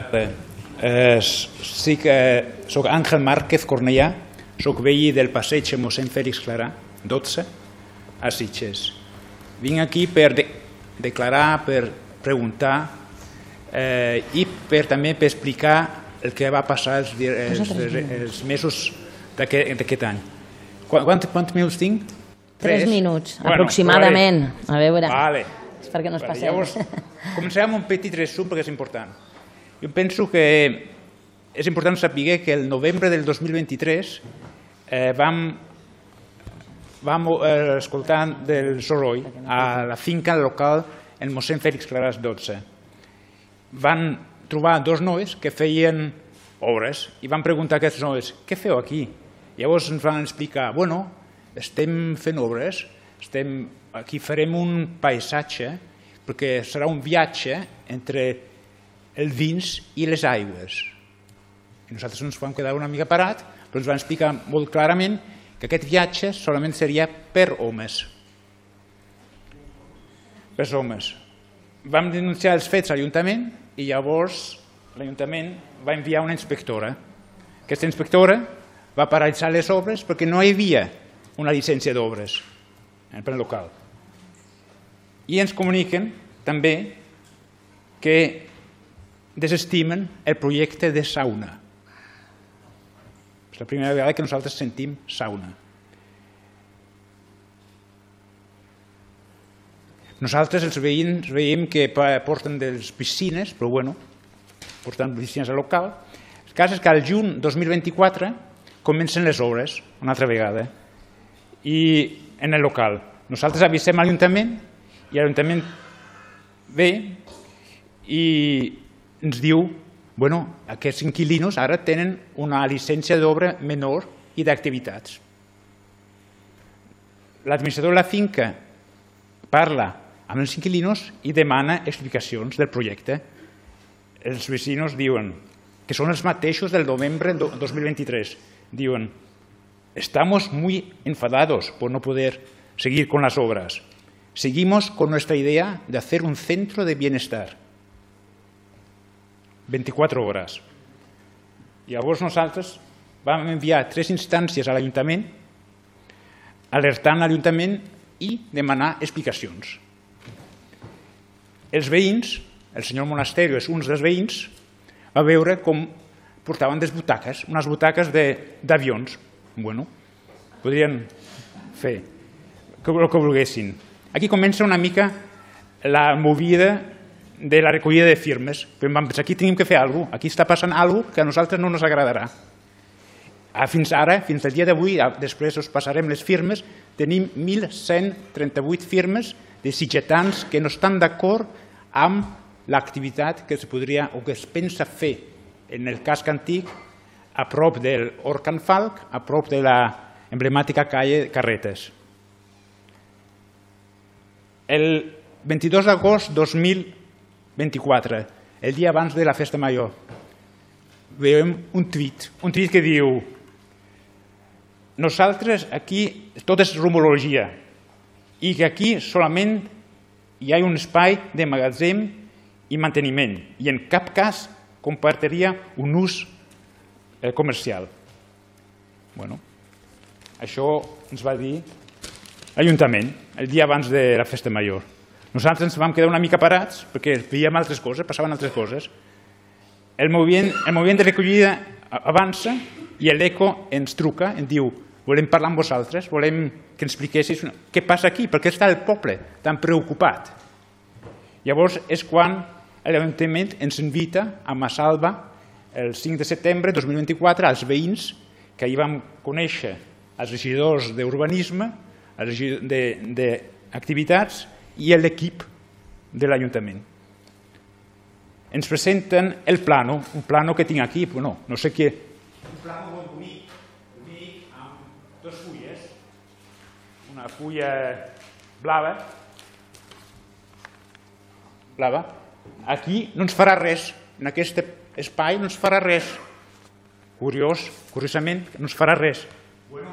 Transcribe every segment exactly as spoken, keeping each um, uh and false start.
tarda. Eh, sí que soc Àngel Márquez Cornellà, soc veí del passeig mossèn Fèlix Clarà, dotze, a Sitges. Vinc aquí per de declarar, per preguntar eh, i per també per explicar el que va passar els, els, els mesos d'aquest any. Quants, quants minuts tinc? Tres, Tres minuts, bueno, aproximadament. Vale. A veure, vale. És perquè no es vale. passem. Llavors, començarem amb un petit resum perquè és important. Jo penso que és important saber que el novembre del dos mil vint-i-tres eh, vam, vam eh, escoltar del soroll a la finca local en mossèn Fèlix Clarà dotze. Van trobar dos nois que feien obres i van preguntar a aquests nois, què feu aquí? Llavors ens van explicar, bueno, estem fent obres, estem, aquí farem un paisatge perquè serà un viatge entre el vins i les aigües. I nosaltres ens vam quedar una mica parat, però ens van explicar molt clarament que aquest viatge solament seria per homes. Per homes. Vam denunciar els fets a l'Ajuntament i llavors l'Ajuntament va enviar una inspectora. Aquesta inspectora va paralitzar les obres perquè no hi havia una llicència d'obres en el pla local. I ens comuniquen també que desestimen el projecte de sauna. És la primera vegada que nosaltres sentim sauna. Nosaltres, els veïns, veiem que porten des piscines, però bueno, porten piscines al local. El cas és que al juny dos mil vint-i-quatre comencen les obres, una altra vegada, i en el local. Nosaltres avisem a l'Ajuntament i l'Ajuntament ve i ens diu bueno, aquests inquilinos ara tenen una llicència d'obra menor i d'activitats. L'administrador de la finca parla amb els inquilinos i demana explicacions del projecte. Els vecinos diuen que són els mateixos del novembre de dos mil vint-i-tres. Diuen, estamos muy enfadados por no poder seguir con las obras. Seguimos con nuestra idea de hacer un centro de bienestar. veinticuatro hores. Llavors nosaltres vam enviar tres instàncies a l'Ajuntament alertant l'Ajuntament i demanar explicacions. Els veïns, el senyor Monasterio és un dels veïns, va veure com portaven des butaques, unes butaques d'avions. Bueno, podrien fer el que volguessin. Aquí comença una mica la movida de la recollida de firmes. Però vam pensar, aquí tenim que fer alguna cosa, aquí està passant alguna cosa que a nosaltres no ens agradarà. Fins ara, fins al dia d'avui, després us passarem les firmes, tenim mil cent trenta-vuit firmes de sitgetans que no estan d'acord amb l'activitat que es podria o que es pensa fer en el casc antic a prop del Hort Can Falc, a prop de l'emblemàtica calle Carretes. El vint-i-dos d'agost de dos mil vint-i-quatre, el dia abans de la festa major, veiem un tuit, un tuit que diu nosaltres aquí tot és rumorologia i que aquí solament hi ha un espai de magatzem i manteniment i en cap cas compartiria un ús comercial. Bueno, això ens va dir l'Ajuntament el dia abans de la festa major. Nosaltres ens vam quedar una mica parats perquè veiem altres coses, passaven altres coses. El moviment, el moviment de recollida avança i l'ECO ens truca, ens diu volem parlar amb vosaltres, volem que ens expliquessis què passa aquí, per què està el poble tan preocupat. Llavors és quan l'Ajuntament ens invita a Massalva el cinc de setembre de dos mil vint-i-quatre als veïns que ahir vam conèixer els regidors d'urbanisme, d'activitats i l'equip de l'Ajuntament. Ens presenten el plano, un plano que tinc aquí, no, no sé què. Un plano molt bonic, bonic amb dues fulles, una fulla blava, blava. Aquí no ens farà res, en aquest espai no ens farà res. Curiós, curiosament, no ens farà res. Bueno,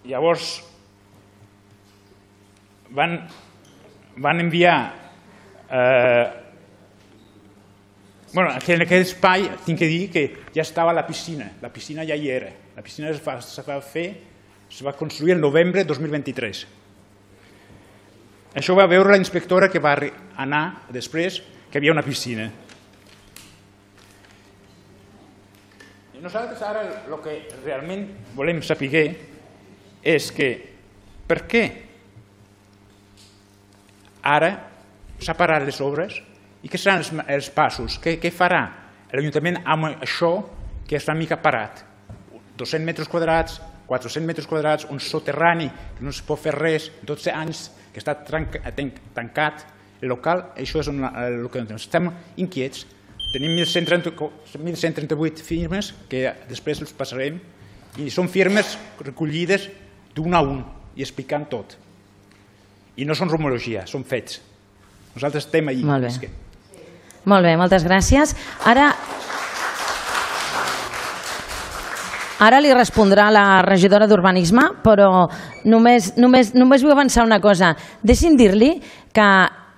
llavors van, van enviar eh, Bueno, en aquell espai tinc que dir que ja estava la piscina, la piscina ja hi era. La piscina es va, es va fer, es va construir el novembre de dos mil vint-i-tres. Això va veure la inspectora que va anar després que hi havia una piscina. Nosaltres ara el que realment volem saber és que per què ara s'ha parat les obres i què seran els, els passos, què, què farà l'Ajuntament amb això que està una mica parat. dos-cents metres quadrats, quatre-cents metres quadrats, un soterrani que no es pot fer res, dotze anys que està tancat el local, això és una, el que estem inquiets. Tenim mil cent trenta-vuit firmes que després els passarem i són firmes recollides d'un a un i explicant tot. I no són rumorologia, són fets. Nosaltres estem allà. Molt bé. Molt bé, moltes gràcies. Ara... Ara li respondrà la regidora d'Urbanisme, però només, només, només vull avançar una cosa. Deixi'm dir-li que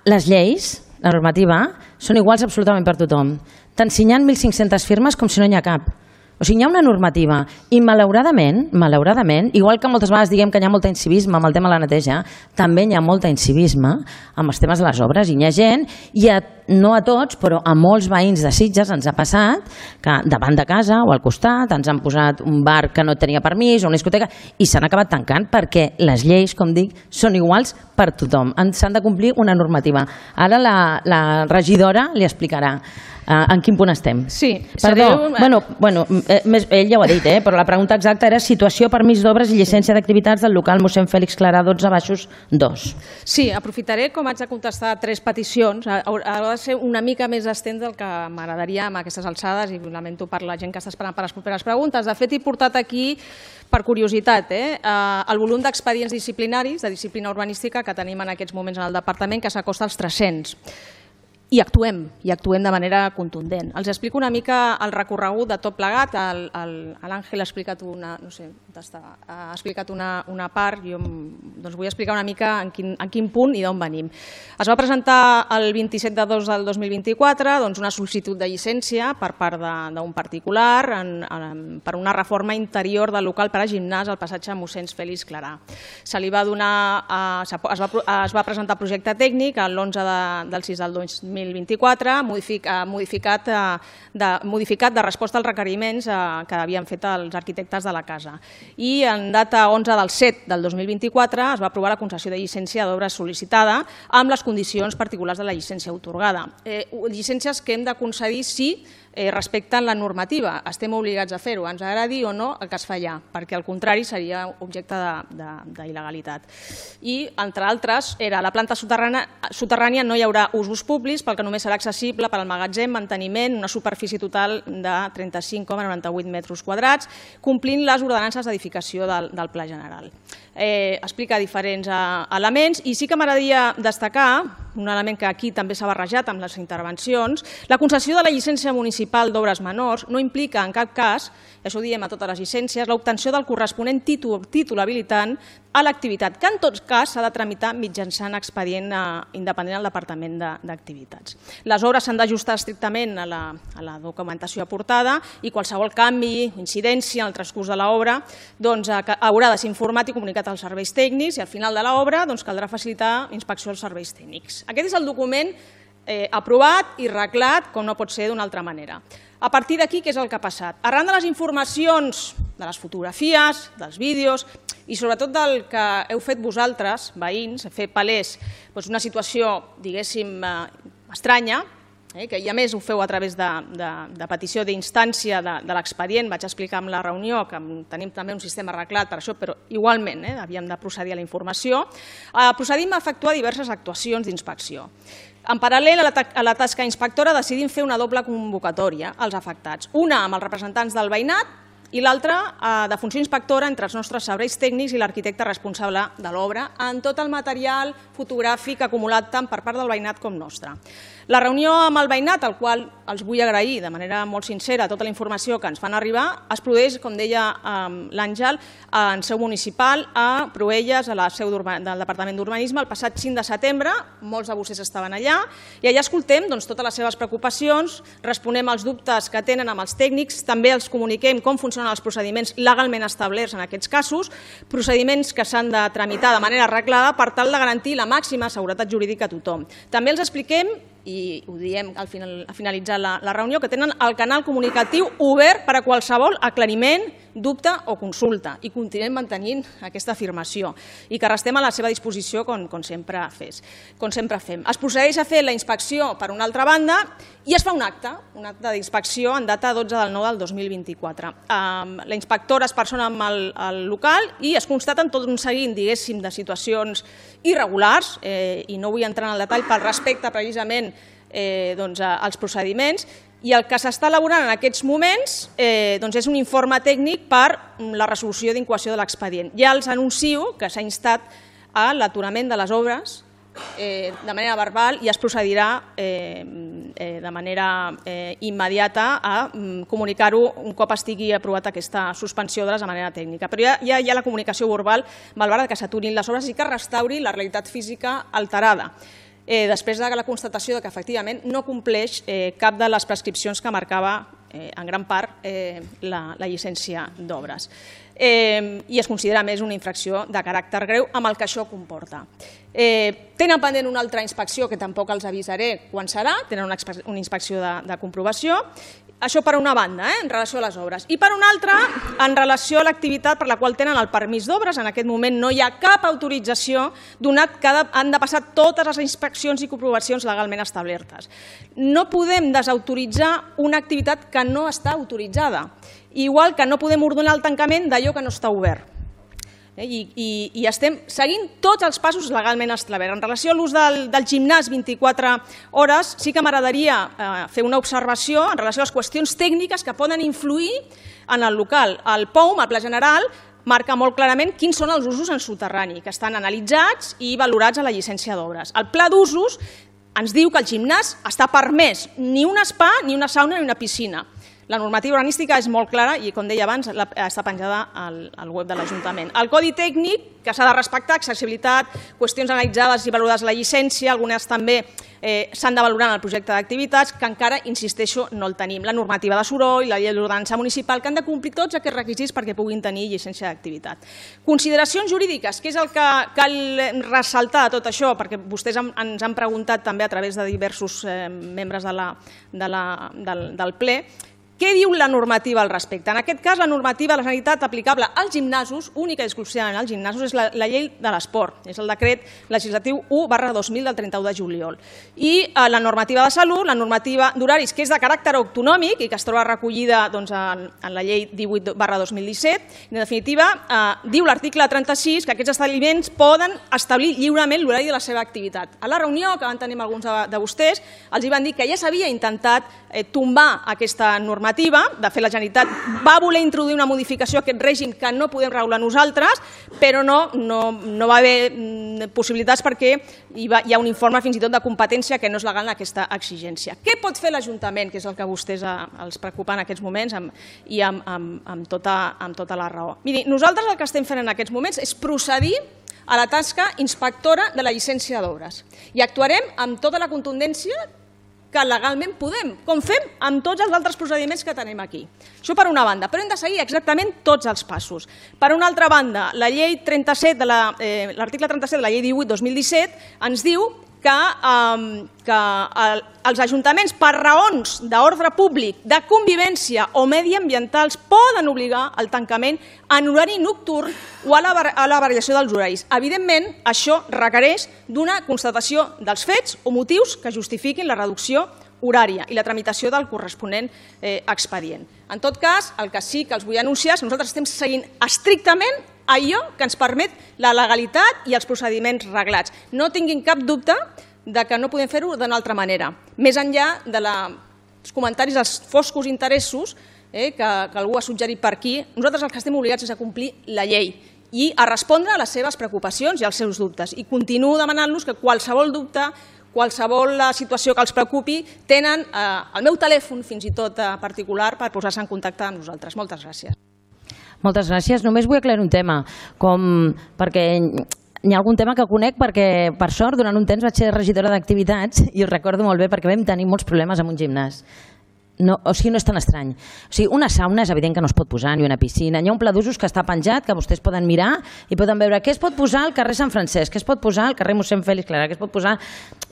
les lleis, la normativa, són iguals absolutament per tothom. Tant si hi ha mil cinc-centes firmes com si no n'hi ha cap. O sigui, hi ha una normativa i malauradament, malauradament, igual que moltes vegades diguem que hi ha molt incivisme amb el tema de la neteja, també hi ha molt incivisme amb els temes de les obres. I hi ha gent, i a, no a tots, però a molts veïns de Sitges ens ha passat que davant de casa o al costat ens han posat un bar que no tenia permís o una discoteca i s'han acabat tancant perquè les lleis, com dic, són iguals per tothom. S'han de complir una normativa. Ara la, la regidora li explicarà Uh, en quin punt estem. Sí. Perdó, sereu... bueno, bueno, eh, més, ell ja ho ha dit, eh, però la pregunta exacta era situació, permís d'obres i llicència d'activitats del local mossèn Fèlix Clarà dotze baixos dos. Sí, aprofitaré, com haig de contestar tres peticions, haurà de ser una mica més extens del que m'agradaria amb aquestes alçades i lamento per la gent que està esperant per les properes preguntes. De fet, he portat aquí, per curiositat, eh, el volum d'expedients disciplinaris de disciplina urbanística que tenim en aquests moments en el departament, que s'acosta als tres-cents. I actuem, i actuem de manera contundent. Els explico una mica el recorregut de tot plegat. L'Àngel ha explicat una, no sé, ha explicat una, una part, jo doncs vull explicar una mica en quin, en quin punt i d'on venim. Es va presentar el vint-i-set de dos del dos mil vint-i-quatre doncs una sol·licitud de llicència per part d'un particular en, en, per una reforma interior del local per a gimnàs al passatge mossèn Fèlix Clarà. Se li va donar, es va, es va presentar projecte tècnic l'onze del sis del dos mil vint-i-quatre, modificat de, modificat de resposta als requeriments que havien fet els arquitectes de la casa. I en data onze del set del dos mil vint-i-quatre es va aprovar la concessió de llicència d'obres sol·licitada amb les condicions particulars de la llicència atorgada. Eh, llicències que hem de concedir si eh, respecten la normativa. Estem obligats a fer-ho, ens agradi o no el que es fa allà, perquè al contrari seria objecte d'il·legalitat. I, entre altres, era la planta soterrània no hi haurà usos públics perquè només serà accessible per al magatzem, manteniment, una superfície total de trenta-cinc coma noranta-vuit metres quadrats, complint les ordenances d'edificació del, del Pla General. Eh, explica diferents eh, elements i sí que m'agradaria destacar un element que aquí també s'ha barrejat amb les intervencions. La concessió de la llicència municipal d'obres menors no implica en cap cas, i això ho diem a totes les llicències, l'obtenció del corresponent títol, títol habilitant a l'activitat, que en tot cas s'ha de tramitar mitjançant expedient eh, independent al Departament d'Activitats. Les obres s'han d'ajustar estrictament a la, a la documentació aportada i qualsevol canvi, incidència en el transcurs de l'obra doncs, eh, haurà de ser informat i comunicat als serveis tècnics i al final de l'obra doncs, caldrà facilitar inspecció als serveis tècnics. Aquest és el document eh, aprovat i reglat, com no pot ser d'una altra manera. A partir d'aquí, què és el que ha passat? Arran de les informacions, de les fotografies, dels vídeos i sobretot del que heu fet vosaltres, veïns, fer palès doncs, una situació, diguéssim, eh, estranya, eh, que i a més ho feu a través de, de, de petició d'instància de, de l'expedient, vaig explicar en la reunió que tenim també un sistema arreglat per això, però igualment eh, havíem de procedir a la informació, eh, procedim a efectuar diverses actuacions d'inspecció. En paral·lel a la, a la tasca inspectora decidim fer una doble convocatòria als afectats, una amb els representants del veïnat i l'altra de funció inspectora entre els nostres serveis tècnics i l'arquitecte responsable de l'obra en tot el material fotogràfic acumulat tant per part del veïnat com nostre. La reunió amb el veïnat, al qual els vull agrair de manera molt sincera tota la informació que ens fan arribar. Es produeix, com deia l'Àngel, en seu municipal a Proelles, a la seu del Departament d'Urbanisme, el passat cinc de setembre. Molts de vostès estaven allà i allà escoltem totes les seves preocupacions, responem als dubtes que tenen amb els tècnics, també els comuniquem com funcionen els procediments legalment establerts en aquests casos, procediments que s'han de tramitar de manera arreglada per tal de garantir la màxima seguretat jurídica a tothom. També els expliquem, i ho diem al finalitzar la reunió, que tenen el canal comunicatiu obert per a qualsevol aclariment, dubte o consulta, i continuem mantenint aquesta afirmació i que restem a la seva disposició com sempre fem. Es procedeix a fer la inspecció per una altra banda i es fa un acte, un acte d'inspecció en data dotze del nou del dos mil vint-i-quatre. La inspectora es persona amb el local i es constaten tot un seguit, diguéssim, de situacions irregulars, i no vull entrar en el detall pel respecte precisament als procediments, i el que s'està elaborant en aquests moments és un informe tècnic per la resolució d'incoació de l'expedient. Ja els anuncio que s'ha instat a l'aturament de les obres de manera verbal i es procedirà de manera immediata a comunicar-ho un cop estigui aprovat aquesta suspensió d'obres de manera tècnica. Però ja hi ha la comunicació verbal malgrat que s'aturin les obres i que es restauri la realitat física alterada, després de la constatació que efectivament no compleix cap de les prescripcions que marcava en gran part la llicència d'obres. I es considera més una infracció de caràcter greu amb el que això comporta. Tenen pendent una altra inspecció que tampoc els avisaré quan serà, tenen una inspecció de comprovació. Això per una banda, en relació a les obres. I per una altra, en relació a l'activitat per la qual tenen el permís d'obres. En aquest moment no hi ha cap autorització donat que han de passar totes les inspeccions i comprovacions legalment establertes. No podem desautoritzar una activitat que no està autoritzada, igual que no podem ordenar el tancament d'allò que no està obert. I estem seguint tots els passos legalment establerts. En relació a l'ús del gimnàs vint-i-quatre hores, sí que m'agradaria fer una observació en relació a les qüestions tècniques que poden influir en el local. El P O U M, el Pla General, marca molt clarament quins són els usos en soterrani, que estan analitzats i valorats a la llicència d'obres. El Pla d'usos ens diu que el gimnàs està permès, ni un spa, ni una sauna, ni una piscina. La normativa urbanística és molt clara i, com deia abans, està penjada al web de l'Ajuntament. El codi tècnic, que s'ha de respectar, accessibilitat, qüestions analitzades i valorades a la llicència, algunes també s'han de valorar en el projecte d'activitats, que encara, insisteixo, no el tenim. La normativa de soroll, la llei d'ordenança municipal, que han de complir tots aquests requisits perquè puguin tenir llicència d'activitat. Consideracions jurídiques, que és el que cal ressaltar de tot això, perquè vostès ens han preguntat també a través de diversos membres del ple. Què diu la normativa al respecte? En aquest cas, la normativa de la Generalitat aplicable als gimnasos, única i exclusivament als gimnasos, és la llei de l'esport, és el decret legislatiu u barra dos mil del trenta-u de juliol. I la normativa de salut, la normativa d'horaris, que és de caràcter autonòmic i que es troba recollida en la llei divuit barra dos mil disset, en definitiva, diu l'article trenta-sis que aquests establiments poden establir lliurement l'horari de la seva activitat. A la reunió que van tenir alguns de vostès, els van dir que ja s'havia intentat tombar aquesta normativa. De fet, la Generalitat va voler introduir una modificació a aquest règim que no podem regular nosaltres, però no va haver possibilitats perquè hi ha un informe fins i tot de competència que no és legal en aquesta exigència. Què pot fer l'Ajuntament, que és el que a vostès els preocupa en aquests moments i amb tota la raó? Miri, nosaltres el que estem fent en aquests moments és procedir a la tasca inspectora de la llicència d'obres i actuarem amb tota la contundència que legalment podem, com fem amb tots els altres procediments que tenim aquí. Això per una banda, però hem de seguir exactament tots els passos. Per una altra banda, la llei trenta-set, l'article trenta-set de la llei divuit dos mil disset ens diu que els ajuntaments, per raons d'ordre públic, de convivència o mediambientals, poden obligar al tancament en horari nocturn o a la variació dels horaris. Evidentment, això requereix d'una constatació dels fets o motius que justifiquin la reducció horària i la tramitació del corresponent expedient. En tot cas, el que sí que els vull anunciar és que nosaltres estem seguint estrictament allò que ens permet la legalitat i els procediments reglats. No tinguin cap dubte que no podem fer-ho d'una altra manera, més enllà dels comentaris dels foscos interessos que algú ha suggerit per aquí. Nosaltres el que estem obligats és a complir la llei i a respondre a les seves preocupacions i als seus dubtes. I continuo demanant-los que qualsevol dubte, qualsevol situació que els preocupi, tenen el meu telèfon, fins i tot particular, per posar-se en contacte amb nosaltres. Moltes gràcies. Moltes gràcies. Només vull aclarir un tema, com perquè hi ha algun tema que conec perquè, per sort, durant un temps vaig ser regidora d'activitats i ho recordo molt bé perquè vam tenir molts problemes amb un gimnàs. No, o sigui, no és tan estrany. O sigui, una sauna és evident que no es pot posar, ni una piscina. Hi ha un pla d'usos que està penjat, que vostès poden mirar i poden veure què es pot posar al carrer Sant Francesc, què es pot posar al carrer mossèn Fèlix Clarà, què es pot posar...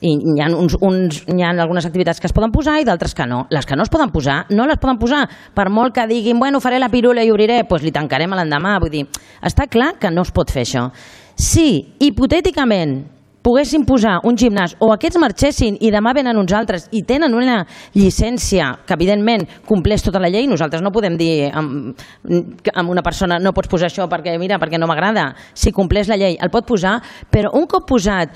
I hi ha, uns, uns, hi ha algunes activitats que es poden posar i d'altres que no. Les que no es poden posar, no les poden posar. Per molt que diguin, bueno, faré la pirula i obriré, doncs li tancarem a l'endemà. Vull dir, està clar que no es pot fer això. Si, hipotèticament, poguessin posar un gimnàs o aquests marxessin i demà venen uns altres i tenen una llicència que evidentment compleix tota la llei, nosaltres no podem dir amb, amb una persona no pots posar això perquè mira, perquè no m'agrada. Si compleix la llei el pot posar, però un cop posat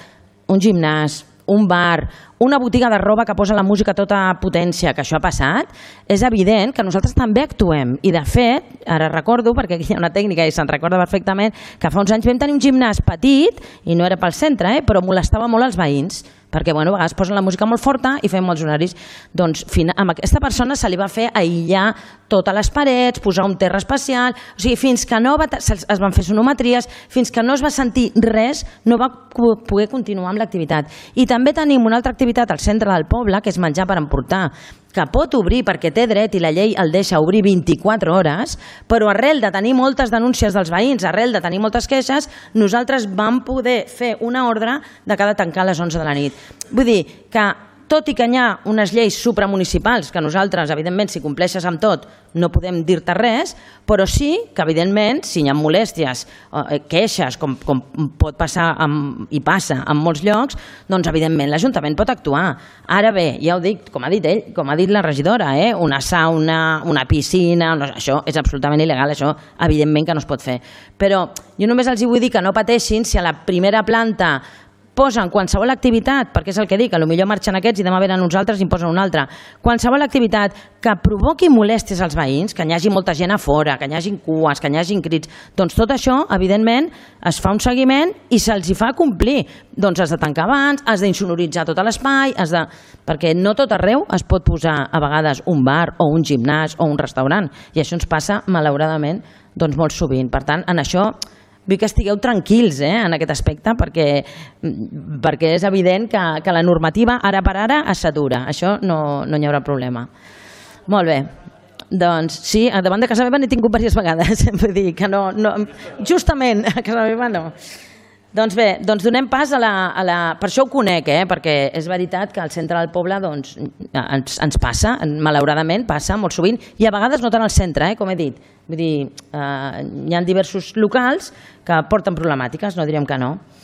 un gimnàs, un bar, una botiga de roba que posa la música a tota potència, que això ha passat, és evident que nosaltres també actuem. I de fet, ara recordo, perquè aquí hi ha una tècnica i se'n recorda perfectament, que fa uns anys vam tenir un gimnàs petit, i no era pel centre, eh, però molestava molt els veïns, perquè bueno, a vegades posen la música molt forta i fem molts horaris. Doncs amb aquesta persona se li va fer aïllar totes les parets, posar un terra especial, o sigui, fins que no va, es van fer sonometries, fins que no es va sentir res, no va poder continuar amb l'activitat. I també tenim una altra activitat al centre del poble, que és menjar per emportar, que pot obrir perquè té dret i la llei el deixa obrir vint-i-quatre hores, però arrel de tenir moltes denúncies dels veïns, arrel de tenir moltes queixes, nosaltres vam poder fer una ordre de que ha de tancar a les onze de la nit. Vull dir que, tot i que hi ha unes lleis supramunicipals que nosaltres, evidentment, si compleixes amb tot, no podem dir-te res, però sí que, evidentment, si hi ha molèsties, queixes, com, com pot passar amb, i passa en molts llocs, doncs, evidentment, l'Ajuntament pot actuar. Ara bé, ja ho dic, com ha dit ell, com ha dit la regidora, eh? una sauna, una piscina, no, això és absolutament il·legal, això, evidentment, que no es pot fer. Però jo només els vull dir que no pateixin si a la primera planta posen qualsevol activitat, perquè és el que dic, potser marxen aquests i demà venen uns altres i en posen una altra, qualsevol activitat que provoqui molèsties als veïns, que hi hagi molta gent a fora, que hi hagi cues, que hi hagi crits, doncs tot això, evidentment, es fa un seguiment i se'ls fa complir. Doncs has de tancar abans, has d'insonoritzar tot l'espai, has de... perquè no tot arreu es pot posar a vegades un bar o un gimnàs o un restaurant, i això ens passa, malauradament, doncs molt sovint. Per tant, en això vull que estigueu tranquils eh, en aquest aspecte perquè, perquè és evident que, que la normativa ara per ara es satura. Això no, no hi haurà problema. Molt bé. Doncs sí, davant de casa meva n'he tingut diverses vegades. Vull dir que no, no, justament a casa meva no. Doncs bé, doncs donem pas a la, a la... Per això ho conec, eh? Perquè és veritat que al centre del poble doncs, ens, ens passa, malauradament passa molt sovint, i a vegades no tant al centre, eh? Com he dit. Vull dir, eh, hi ha diversos locals que porten problemàtiques, no direm que no.